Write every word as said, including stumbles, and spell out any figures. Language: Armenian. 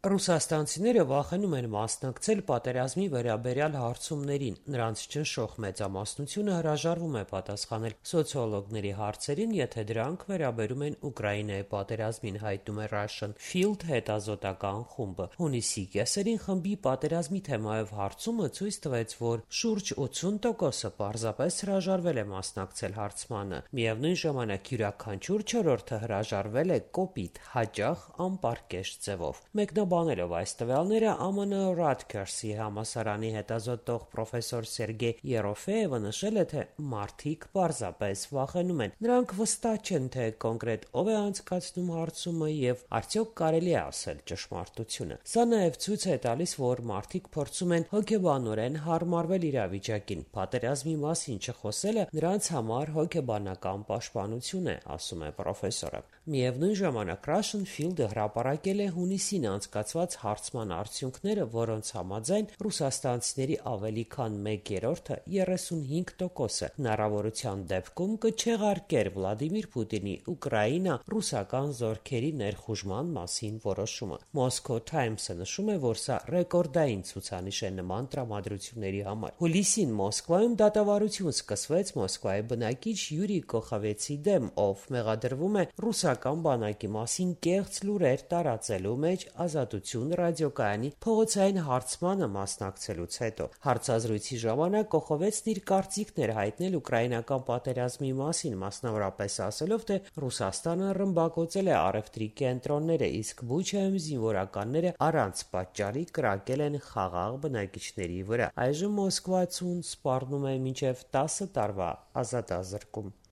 Ռուսաստանցիները վախենում են մասնակցել պատերազմի վերաբերյալ հարցումներին, նրանց ճնշող մեծամասնությունը հրաժարվում է պատասխանել սոցիոլոգների հարցերին, եթե դրանք վերաբերում են Ուկրաինայի պատերազմին, հայտնում է Russian Field հետազոտական խումբը։ Հունիսի կեսերին խմբի պատերազմի թեմայով հարցումը ցույց տվեց, որ շուրջ ութսուն տոկոսը պարզապես հրաժարվել է մասնակցել հարցմանը։ Միևնույն ժամանակ յուրաքանչյուր չորրորդը հրաժարվել է կոպիտ, հաճախ անպարկեշտ ձևով։ Մեկնաբանելով այս տվյալները, Է Մ Ն Rutgers-ի համալսարանի հետազոտող պրոֆեսոր Սերգեյ Երոֆեևը նշել է, թե մարդիկ պարզապես վախենում են։ Նրանք վստահ չեն, թե կոնկրետ ով է անցկացնում հարցումը եւ արդյոք կարելի է ասել ճշմարտությունը։ Սա նաեւ ցույց է տալիս, որ մարդիկ փորձում են հոգեբանորեն հարմարվել իրավիճակին։ Պատերազմի մասին չխոսելը նրանց համար հոգեբանական պաշտպանություն է, ասում է պրոֆեսորը։ Միևնույն ժամանակ Russian Field-ը հրապարակել է հունիսին անցկացված հարցման արդյունքները, որոնց համաձայն ռուսաստանցիների ավելի քան մեկ երրորդը երեսունհինգ տոկոսը հնարավորության դեպքում կչեղարկեր Վլադիմիր Պուտինի Ուկրաինա ռուսական զորքերի ներխուժման մասին որոշումը։ Moscow Times-ը նշում է, որ սա ռեկորդային ցուցանիշ է նման տրամադրությունների համար։ Հուլիսին Մոսկվայում դատավարություն սկսվեց Մոսկվայի բնակիչ Յուրի Կոխովեցի դեմ, ով մեղադրվում է ռուսական բանակի մասին կեղծ լուրեր տարածելու մեջ Ազատություն ռադիոկայանի փողոցային հարցմանը մասնակցելուց հետո։ Հարցազրույցի ժամանակ Կոխովեցն իր կարծիքն էր հայտնել ուկրաինական պատերազմի մասին, մասնավորապես ասելով, թե Ռուսաստանը ռմբակոծել է առևտրի կենտրոնները, իսկ Բուչայում զինվորականները առանց պատճառի կրակել են խաղաղ բնակիչների վրա։ Այժմ մոսկվացուն սպառնում է մինչև տասը տարվա ազատազրկում։